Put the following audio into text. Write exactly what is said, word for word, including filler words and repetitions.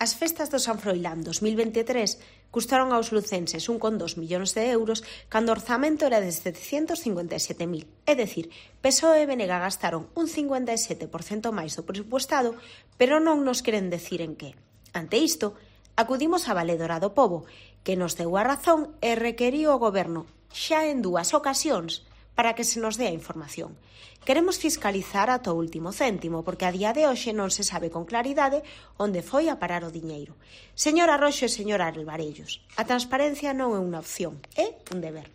As festas do San Froilán dos mil veintitrés custaron aos lucenses un coma dos millóns de euros cando o orzamento era de setecentos cincuenta e sete mil. É dicir, P S O E e B N G gastaron un cincuenta e sete por cento máis do presupuestado, pero non nos queren decir en que. Ante isto, acudimos á Valedora do Pobo, que nos deu a razón e requeriu ao Goberno, xa en dúas ocasións, para que se nos dé a información. Queremos fiscalizar ata o último céntimo, porque a día de hoxe non se sabe con claridade onde foi a parar o diñeiro. Señora Roxo e señora Alvarellos, a transparencia non é unha opción, é un deber.